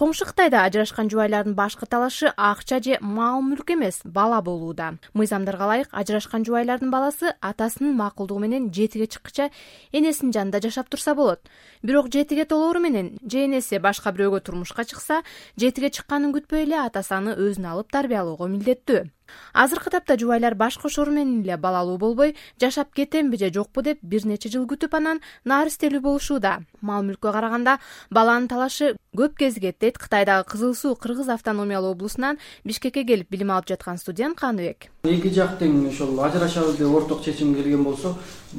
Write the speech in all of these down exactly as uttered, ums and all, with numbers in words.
Коңшу Кытайда ажырашкан жубайлардын башкы талашы акча же мал-мүлк эмес, бала болууда. Мыйзамдарга ылайык ажырашкан жубайлардын баласы атасынын макулдугу менен жетиге чыккыча энесинин жанында жашап турса болот. Бирок жетиге толоору менен же энеси башка бирөөгө турмушка чыкса, жетиге чыкканын күтпөй эле атасы аны өзүнө алып тарбиялоого милдеттүү. Азыркы тапта жубайлар баш кошору менен эле балалуу болбой, жашап кетемби же жокпу деп бир нече жыл күтүп анан наристелүү болушууда. Мал-мүлккө караганда баланын талашы көп кезигет дейт Кытайдагы Кызыл Суу Кыргыз автономиялуу облусунан Бишкекке келип билим алып жаткан студент Каныбек. Эки жак тең ошол ажырашабыз деп орток чечим келген болсо,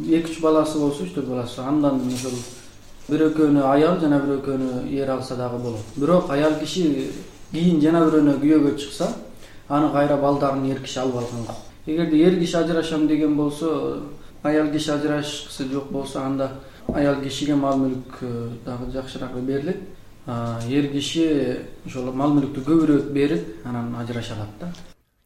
эки үч баласы болсо, үч төрт баласы, андан ошол бир экөөнү аял жана бир экөөнү эр алса дагы болот. Бирок аял киши кийин жана бирөөнө күйөөгө чыкса, аны кайра балдарын эр киши алып алган кок. Эгерде эр киши ажырашам деген болсо, аял киши ажырашкысы жок болсо, анда аял кишиге мал-мүлк дагы жакшыраак берилет. Эр киши ошол мал-мүлктү көбүрөөк берип, анан ажыраша алат да.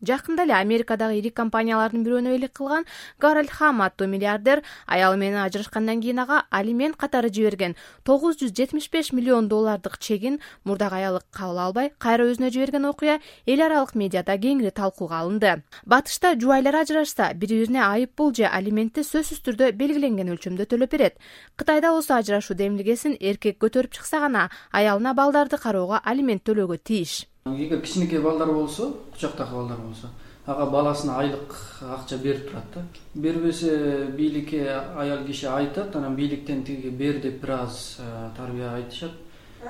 Жакында эле Америкадагы ири компаниялардын бирөөнө элек кылган Гарольд Хам аттуу миллиардер аялы менен ажырашкандан кийин ага алимент катары жиберген тогуз жүз жетимиш беш миллион доллардык чегин мурдагы аялы кабыл албай, кайра өзүнө жиберген окуя эл аралык медиада кеңири талкууга алынды. Батышта жубайлар ажырашса, бири-бирине айып пул же алиментти сөзсүз түрдө белгиленген өлчөмдө төлөп берет. Кытайда болсо ажырашуу демилгесин эркек көтөрүп чыкса гана аялына балдарды кароого алимент төлөөгө тийиш. Эгер кичинекей балдар болсо, кучактагы балдар болсо, ага баласына айлык акча берип турат да. Бербесе бийликке аял киши айтат, анан бийликтен тиги бер деп бир аз тарбия айтышат.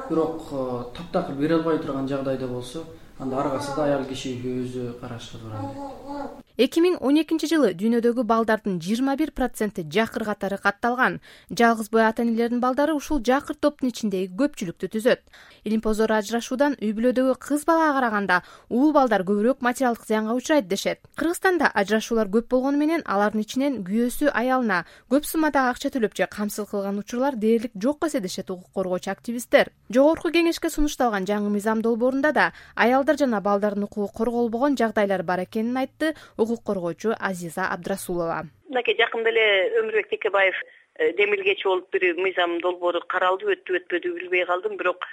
Бирок таптакыр бере албай турган жагдайда болсо, анда аргасы да аял киши өзү карашка турат. эки миң он экинчи жылы дүйнөдөгү балдардын жыйырма бир проценти жакыр катары катталган. Жалгыз бой ата-энелердин балдары ушул жакыр топтун ичиндеги көпчүлүктү түзөт. Илимпоздор ажырашуудан үй бүлөдөгү кыз балага караганда уул балдар көбүрөөк материалдык зыянга учурайт дешет. Кыргызстанда ажырашуулар көп болгону менен алардын ичинен күйөөсү аялына көп суммадагы акча төлөп же камсыз кылган учурлар дээрлик жок эсе дешет укук коргоочу активисттер. Жогорку кеңешке сунушталган жаңы мыйзам долбоорунда да аялдар жана балдардын укугу корголбогон жагдайлар бар экенин айтты укук коргоочу Азиза Абдрасулова. Мынакей жакында эле Өмүрбек Текебаев демилгечи болуп бир мыйзам долбоору каралды, өттү өтпөдү билбей калдым, бирок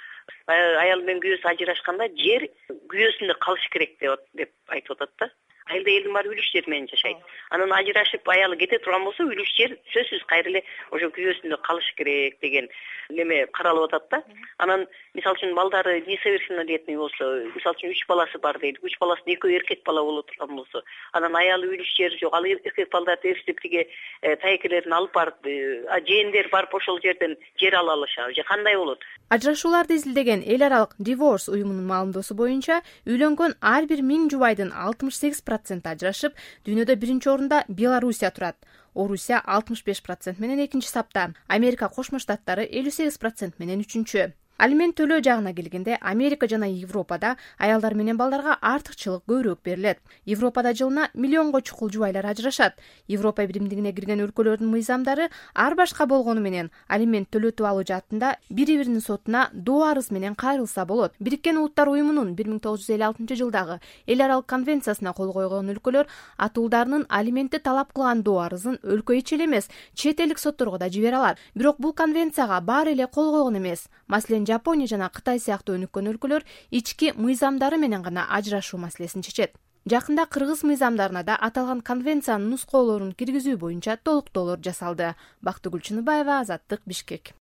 аял менен күйөөсү ажырашканда жер күйөөсүндө калыш керек деп айтып атат да. Айылда элдин баары үлүш жер менен жашайт. Анан ажырашып аялы кете турган болсо, үлүш жер сөзсүз кайра эле ошо күйөөсүндө калыш керек деген неме каралып атат да. Анан мисалы үчүн балдары несовершеннолетний болсо, мисалы үчүн үч баласы бар дейли, үч баласынын экөө эркек бала боло турган болсо, анан аялы үлүш жери жок, ал эркек балдарды эриштип тиги тайкелерин алып барып, жээндер барып ошол жерден жер ала алышабы же кандай болот? Ажырашууларды изилдеген эл аралык Divorce уюмунун маалымдоосу боюнча, үйлөнгөн ар бир миң жубайдын алтымыш сегиз проценти ажырашып, дүйнөдө биринчи орунда Белоруссия турат. Орусия алтымыш беш процент менен экинчи сапта, Америка Кошмо Штаттары элүү сегиз процент менен үчүнчү. Алимент төлөө жагына келгенде Америка жана Европада аялдар менен балдарга артыкчылык көбүрөөк берилет. Европада жылына миллионго чукул жубайлар ажырашат. Европа биримдигине кирген өлкөлөрдүн мыйзамдары ар башка болгону менен алимент төлөтүп алуу жаатында бири-биринин сотуна доо арыз менен кайрылса болот. Бириккен Улуттар уюмунун бир миң тогуз жүз элүү алтынчы жылдагы эл аралык конвенциясына кол койгон өлкөлөр атуулдарынын алиментти талап кылган доо арызын өлкө ичи эле эмес, чет элдик сотторго да жибере алат. Бирок бул конвенцияга баары эле кол койгон эмес. Маселен, Жапония жана Кытай сыяктуу өнүккөн өлкөлөр ички мыйзамдары менен гана ажырашуу маселесин чечет. Жакында кыргыз мыйзамдарына да аталган конвенциянын нускоолорун киргизүү боюнча толуктоолор жасалды. Бактыгүл Чыныбаева, Азаттык, Бишкек.